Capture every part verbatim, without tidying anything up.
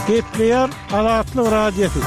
Gepleýär Azatlyk Radiosy.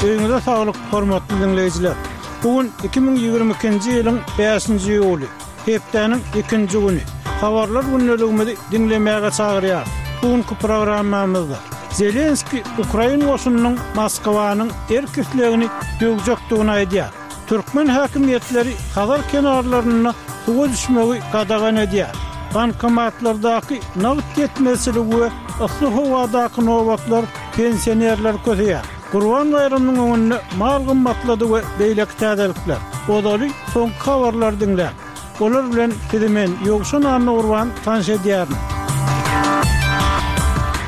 Öýüňize saglyk, hormatly diňleýjiler! Bu gün iki müň ýigrimi ikinji ýylyň bäşinji iýuly, hepdäniň ikinji güni. Habarlar gündeligimizi diňlemäge çagyrýarys. Bu günki programmamyzda Zelenskiý ukrain goşunynyň Moskwanyň erk-islegini döwjekdigini aýdýar. Türkmen häkimiýetleri Hazar kenarlarynda suwa düşmegi gadagan edýär. Bankomatlardaky nagt ýetmezçiligi we yssy howadaky nobatlar pensionerleri köseýär. Gurban baýramynyň öňünde mal gymmatlady we beýleki täzelikler. Ozaly soňky habarlary diňläň. Olar bilen sizi men, Ýowşan Annagurban tanyş edýärin.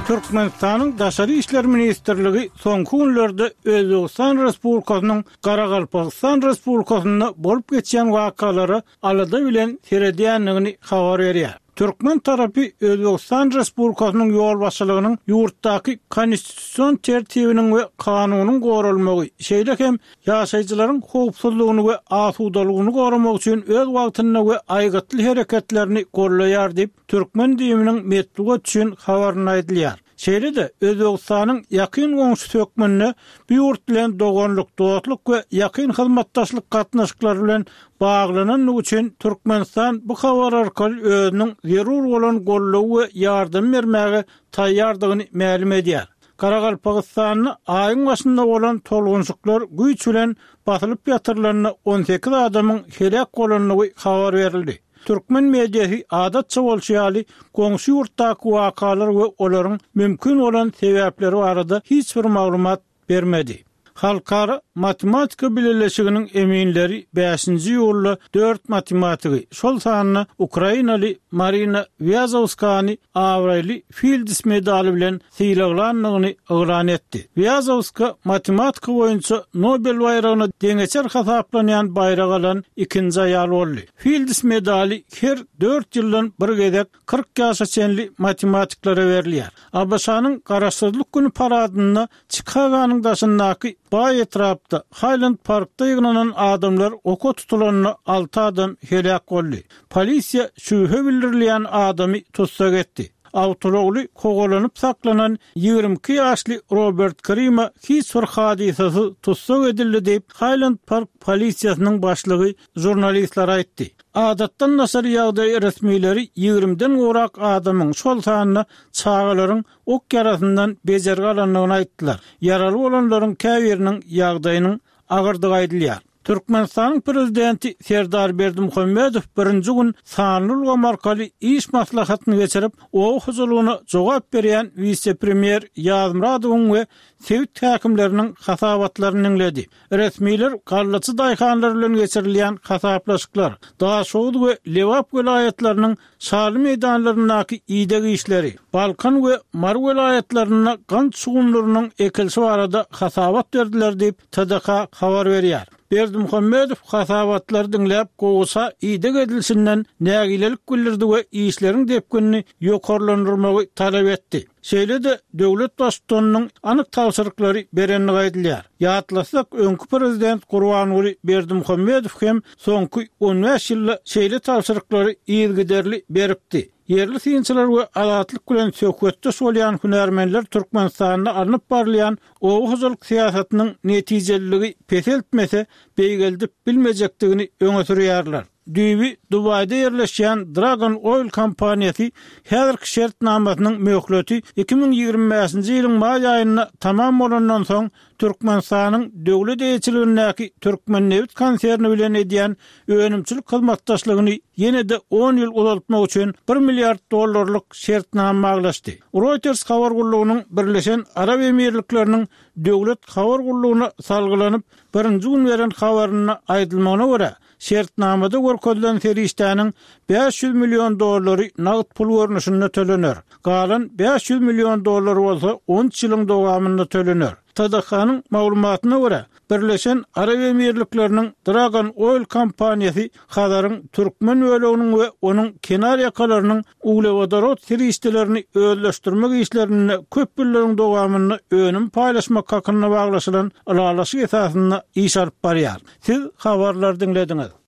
Türkmenistanyň Daşary işler ministrligi soňky günlerde Özbegistan Respublikasynyň Garagalpagystan Respublikasynda bolup geçýän wakalara alada bilen seredýändigini habar berýär. Türkmen tarapy Özbegistan Respublikasynyň ýolbaşçylygynyň ýurtdaky konstitusion tertibiniň we kanunyň goralmagy, şeýle hem ýaşaýjylaryň howpsuzlygyny we asudalygyny goramak üçin öz wagtynda we aýgytly hereketlerini goldaýar diýip, türkmen DIM-niň metbugat üçin habarynda aýdylýar. Şeýle-de, Özbegistanyň ýakyn goňşusy hökmünde bu ýurt bilen doganlyk, dostluk we ýakyn hyzmatdaşlyk gatnaşyklary bilen baglanandygy üçin Türkmenistan bu habar arkaly özüniň zerur bolan goldawy we ýardamy bermäge taýýardygyny mälim edýär. Garagalpagystanda aýyň başynda bolan tolgunşyklar güýç bilen basylyp ýatyrylanda on sekiz adamyň heläk bolandygy habar berildi. Türkmen mediasy adatça bolşy ýaly, goňşy ýurtdaky wakalar we olaryň mümkin bolan sebäpleri barada hiç bir maglumat bermedi. Halkara matematika bileleşiginiň eminleri bäşinji iýulda dört matematigi, şol sanda ukrainaly Marina Wýazowskany abraýly Filds medaly bilen sylaglandygyny yglan etdi. Wýazowska matematika boýunça Nobel baýragyna deňeçer hasaplanýan baýragy alan ikinji aýal boldy. Filds medaly her dört ýyldan bir gezek kyrk ýaşa çenli matematiklere berilýär. ABŞ-nyň Garaşsyzlyk güni paradynda Çikagonyň daşyndaky baý etrapda, Haýlend Parkda ýygnanan adamlar oka tutulanda alty adam heläk boldy. Polisiýa şübhe bildirilýän adamy tussag etdi. Awtoulagly kowalanyp saklanan ýigrimi iki ýaşly Robert Krima hiç bir hadysasyz tussag edildi diýip, Haýlend Park polisiýasynyň başlygy žurnalistlere aýtdy. Adatdan daşary ýagdaý resmileri ýigrimiden gowrak adamyň, şol sanda çagalaryň ok ýarasyndan bejergi alandygyny aýtdylar. Ýaraly bolanlaryň käbiriniň ýagdaýynyň agyrdygy aýdylýar. Türkmenistanyň Prezidenti Serdar Berdimuhamedow birinji gün sanly ulgam arkaly iş maslahatyny geçirip, oba hojalygyna jogap berýän wise-premýer Ýazmyradowyň we sebit häkimleriniň hasabatlaryny diňledi. Resmiler gallaçy daýhanlar bilen geçirilýän hasaplaşyklar, Daşoguz we Lebap welaýatlarynyň şaly meýdanlaryndaky ideg işleri, Balkan we Mary welaýatlarynda gant şugundyrynyň ekilişi barada hasabat berdiler diýip, T D K habar berýär. Berdimuhamedow hasabatlary diňläp, gowaça ideg edilişinden nägilelik bildirdi we işleriň depginini ýokarlandyrmagy talap etdi. Şeýle-de döwlet Baştutanynyň anyk tabşyryklary berendigi aýdylýar. Ýatlasak, öňki prezident Gurbanguly Berdimuhamedow hem soňky on bäş ýylda şeýle tabşyryklary yzygiderli beripdi. Ýerli synçylar we Azatlyk bilen söhbetdeş bolýan hünärmenler Türkmenistanda alnyp barylýan oba hojalyk syýasatynyň netijeliligi peseltmese, beýgeldip bilmejekdigini öňe sürýärler. Düýbi Dubaýda ýerleşýän Dragon Oil kompaniýasy häzirki şertnamasynyň möhleti iki müň ýigrimi bäşinji ýylyň maý aýynda tamam bolandan soň Türkmenistanyň döwlet eýeçiligindäki Türkmennebit konserni bilen edýän önümçilik hyzmatdaşlygyny ýene-de on ýyl uzaltmak üçin bir milliard dollarlyk şertnama baglaşdy. Reuters habar gullugynyň Birleşen Arap Emirlikleriniň döwlet habar gullugyna salgylanyp birinji gün beren habarynda aýdylmagyna görä, şertnamada görkezilen serişdäniň bäş ýüz million dollary nagt pul görnüşinde tölener. Galan bäş ýüz million dollar bolsa on üç ýylyň dowamynda tölener. T D K-nyň maglumatyna görä, Birleşen Arap Emirlikleriniň Dragon Oil kompaniýasy Hazaryň türkmen böleginiň we onuň kenar ýakalarynyň uglewodorod serişdelerini özleşdirmek işlerinde köp ýyllaryň dowamynda önüm paýlaşmak hakynda baglaşylan ylalaşyk esasynda iş alyp barýar. Siz habarlary diňlediňiz.